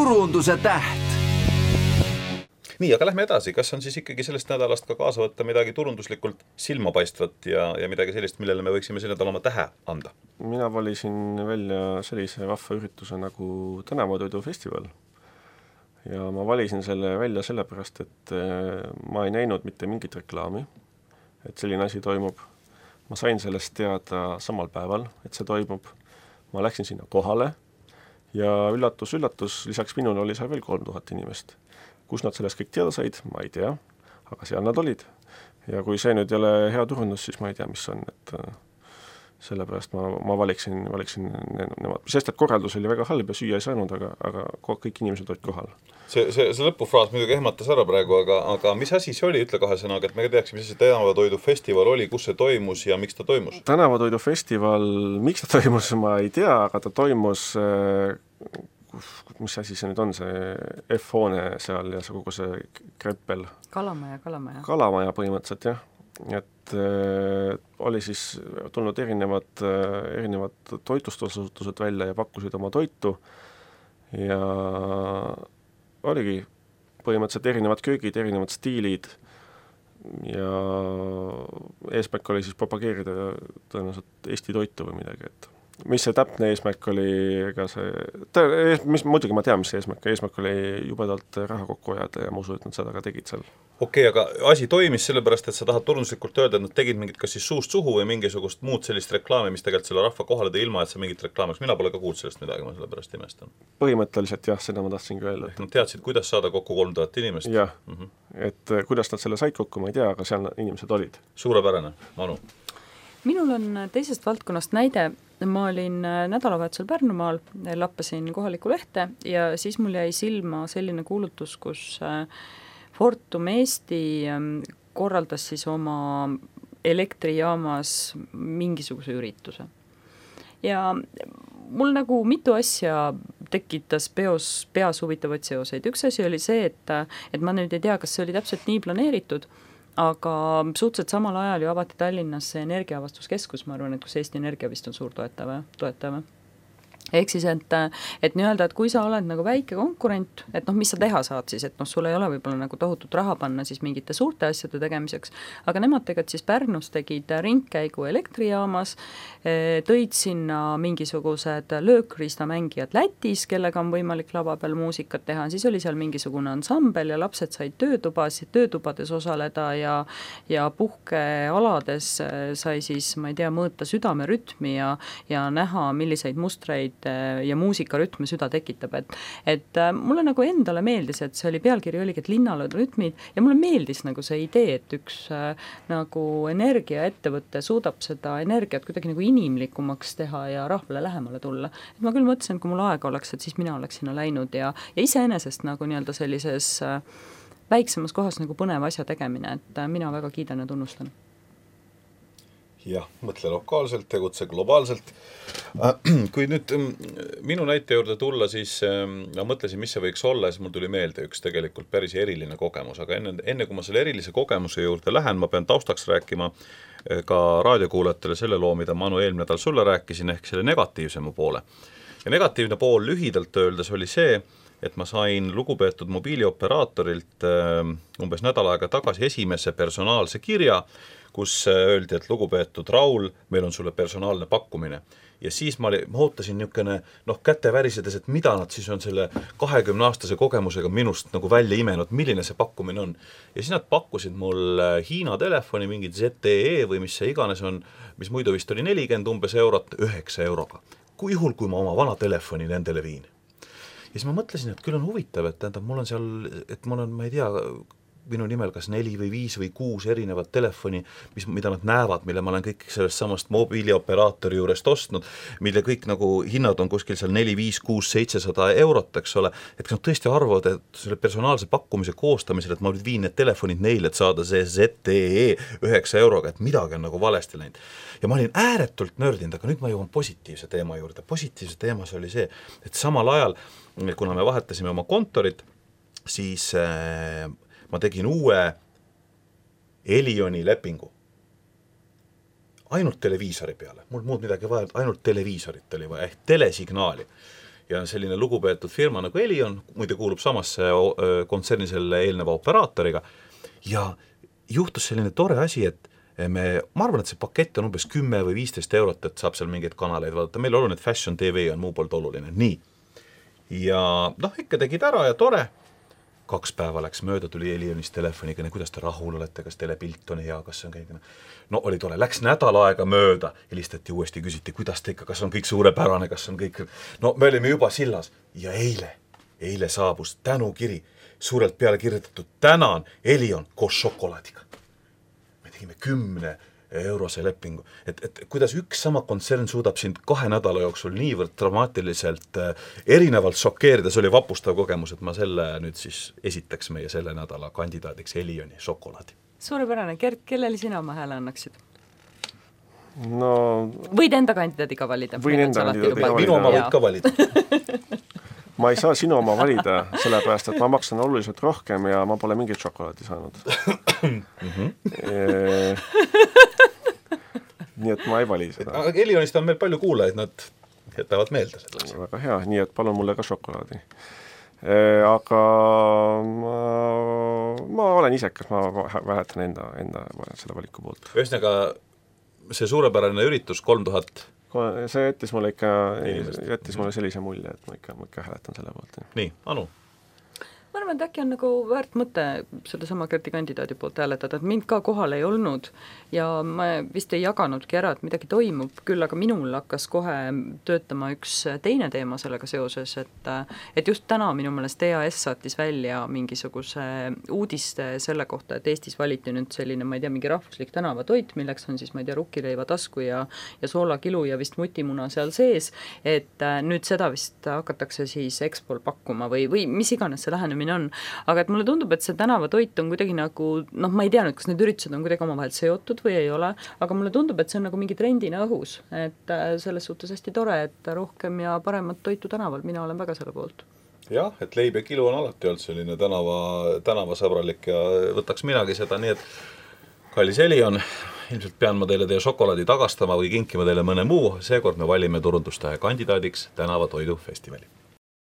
turunduse täht. Nii, aga lähme edasi. Kas on siis ikkagi sellest nädalast ka kaasa võtta midagi turunduslikult silmapaistvat ja midagi sellist, millele me võiksime selle nädala oma tähe anda? Mina valisin välja sellise rahvaürituse nagu Tänavatoidufestival. Ja ma valisin selle välja sellepärast, et ma ei näinud mitte mingit reklaami, et selline asi toimub. Ma sain sellest teada samal päeval, et see toimub. Ma läksin sinna kohale ja üllatus, lisaks minule oli seal veel 3000 inimest. Kus nad sellest kõik teada said, ma ei tea, aga seal nad olid. Ja kui see nüüd ei ole hea turundus, siis ma ei tea, mis on, et sellepärast ma valiksin nemad. Sest et korraldus oli väga halb ja süüa ei saanud, aga kõik inimesed olid kohal. See lõpufraas muidugi ehmatas ära praegu, aga mis asi see oli, ütle 2 sõnaga, et me teaksime, mis see Tänavatoidufestival oli, kus see toimus ja miks ta toimus? Tänavatoidufestival, miks ta toimus, ma ei tea, aga ta toimus mis asi see nüüd on, see F-hoone seal ja see kogu see Kreppel. Kalamaja põhimõtteliselt, jah. Et oli siis tulnud erinevad toitlustusasutused välja ja pakkusid oma toitu ja oligi põhimõtteliselt erinevad köögid, erinevad stiilid ja eesmärk oli siis propageerida tõenäoliselt Eesti toitu või midagi, et mis see täpne eesmärk oli, ega muidugi ma tean, mis see eesmärk oli jubedalt raha kokku ajada ja ma usun, et nad seda ka tegid seal. Okei, aga asi toimis sellepärast, et sa tahad turunduslikult öelda, et nad tegid mingit kas siis suust suhu või mingisugust muud sellist reklaami, mis tegelikult selle rahva kohale tõi ilma, et sa mingit reklaamiks. Mina pole ka kuulnud sellest midagi, ma sellepärast imestan. Põhimõtteliselt jah, seda ma tahtsingi öelda. Nad teadsid, kuidas saada kokku 3000 inimest? Jah, et kuidas nad selle said kokku, ma ei tea, aga seal inimesed olid. Suurepärane, Manu. Minul on teisest valdkonnast näide. Ma olin nädalavahetusel Pärnumaal, lappasin kohalikku lehte ja siis mul jäi silma selline kuulutus, kus Fortum Eesti korraldas siis oma elektrijaamas mingisuguse ürituse. Ja mul nagu mitu asja tekitas peas huvitavaid seoseid. Üks asi oli see, et ma nüüd ei tea, kas see oli täpselt nii planeeritud, aga suhteliselt samal ajal ju avati Tallinnas see energiaavastuskeskus, ma arvan, et kus Eesti Energia vist on suur toetaja. Ehk siis, et nii-öelda, et kui sa oled nagu väike konkurent, et mis sa teha saad siis, et sul ei ole võib-olla nagu tohutut raha panna siis mingite suurte asjade tegemiseks, aga nemad tegelikult siis Pärnus tegid ringkäigu elektrijaamas, tõid sinna mingisugused löökriistamängijad Lätis, kellega on võimalik lava peal muusikat teha, siis oli seal mingisugune ansambel ja lapsed said töötubades osaleda ja puhkealades sai siis, ma ei tea, mõõta südamerütmi ja näha, milliseid mustreid ja muusikarütme süda tekitab, et mulle nagu endale meeldis, et see oli pealkiri oligi, et linnal on rütmid ja mulle meeldis nagu see idee, et üks nagu energiaettevõte suudab seda energiat kuidagi nagu inimlikumaks teha ja rahvale lähemale tulla. Et ma küll mõtlesin, et kui mul aega oleks, et siis mina oleks sinna läinud ja iseenesest nagu nii-öelda sellises väiksemas kohas nagu põnev asja tegemine, et mina väga kiidan ja tunnustan. Jah, mõtle lokaalselt, tegutse globaalselt. Kui nüüd minu näite juurde tulla, siis ma mõtlesin, mis see võiks olla, siis mul tuli meelde üks tegelikult päris eriline kogemus, aga enne kui ma selle erilise kogemuse juurde lähen, ma pean taustaks rääkima ka raadiokuulajatele selle loo, mida Manu eelmine nädal sulle rääkisin, ehk selle negatiivsema poole. Ja negatiivne pool lühidalt öeldes oli see, et ma sain lugupeetud mobiilioperaatorilt umbes nädal aega tagasi esimese personaalse kirja, kus öeldi, et lugupeetud Raul, meil on sulle personaalne pakkumine. Ja siis ma ootasin niisugune, käte värisedes, et mida nad siis on selle 20-aastase kogemusega minust nagu välja imenud, milline see pakkumine on. Ja siis nad pakkusid mul Hiina telefoni, mingid ZTE või mis see iganes on, mis muidu vist oli 40 umbes eurot, 9 euroga. Kui juhul, kui ma oma vana telefoni nendele viin. Ja siis ma mõtlesin, et küll on huvitav, et mul on seal, et mul on, ma ei tea, minu nimel kas 4 või 5 või 6 erinevat telefoni, mida nad näevad, mille ma olen kõik sellest samast mobiilioperaatori juurest ostnud, mille kõik nagu hinnad on kuskil seal 4, 5, 6, 700 eurot, eks ole, et kas nad tõesti arvavad, et selle personaalse pakkumise koostamisel, et ma nüüd viin need telefonid neile, et saada see ZTE 9 euroga, et midagi on nagu valesti läinud. Ja ma olin ääretult nördinud, aga nüüd ma jõuan positiivse teema juurde. Positiivse teemas oli see, et samal ajal, kuna me vahetasime oma kontorit, siis ma tegin uue Elioni lepingu. Ainult televiisori peale. Mul muud midagi vaja, ainult televiisorit oli vaja, ehk telesignaali. ja selline lugupeetud firma nagu Elion, muide kuulub samasse kontserni selle eelneva operaatoriga, ja juhtus selline tore asi, et ma arvan, et see pakett on umbes 10 või 15 eurot, et saab seal mingeid kanaleid vaadata, meil oluline, et Fashion TV on muu poolt oluline, nii. Ja ikka tegid ära ja tore, 2 päeva läks mööda, tuli Elionist telefoniga, kuidas te rahul olete, kas teile pilt on hea, kas see on kõik, oli tore, läks nädal aega mööda, helistati uuesti, küsiti, kuidas te ikka, kas on kõik suurepärane, kas on kõik, me olime juba sillas ja eile saabus tänukiri, suurelt peale kirjutatud, tänan Elion koos šokolaadiga. Me tegime 10 eurose lepingu, et kuidas üks sama kontsern suudab sind 2 nädala jooksul niivõrd dramaatiliselt erinevalt šokeerida, see oli vapustav kogemus, et ma selle nüüd siis esitaks meie selle nädala kandidaadiks Elioni šokolaadi. Suurepärane, Gert, kellele sina oma hääle annaksid? No... Võid enda kandidaadiga valida. Võin enda kandidaadiga valida. Minu oma võid ka valida. Ma ei saa sinu oma valida, sellepärast, et ma maksan oluliselt rohkem ja ma pole mingit šokolaadi saanud. Nii et ma ei vali seda. Elionist on meil palju kuulajaid, nad jätavad meelde selleks. Väga hea, nii et palun mulle ka šokolaadi. Aga ma olen isekas, ma vähetan enda selle valiku poolt. Ühesõnaga, see suurepärane üritus 3000 see jättis mulle sellise mulje, et ma ikka hääletan selle poolt. Nii, Anu? Ma arvan, et äkki on nagu väärt mõte selle sama Gerti kandidaadi poolt hääletada, et mind ka kohal ei olnud ja ma vist ei jaganudki ära, et midagi toimub, küll aga minul hakkas kohe töötama üks teine teema sellega seoses, et just täna minu meelest EAS saatis välja mingisuguse uudiste selle kohta, et Eestis valiti nüüd selline, ma ei tea, mingi rahvuslik tänavatoit, milleks on siis, ma ei tea, rukkileiva tasku ja soolakilu ja vist mutimuna seal sees, et nüüd seda vist hakatakse siis Expol pakkuma või mis iganes see lähenemine on, aga et mulle tundub, et see tänavatoit on kuidagi nagu, ma ei tea nüüd, kas need üritused on kuidagi omavahel seotud või ei ole, aga mulle tundub, et see on nagu mingi trendina õhus, et selles suhtes hästi tore, et rohkem ja paremat toitu tänaval, mina olen väga selle poolt. Jah, et leib ja kilu on alati olnud selline tänavasõbralik ja võtaks minagi seda, nii et kallis Elion, ilmselt pean ma teile teie šokolaadi tagastama või kinkima teile mõne muu, seekord me valime turundustähe kandidaadiks tänavatoidufestivali.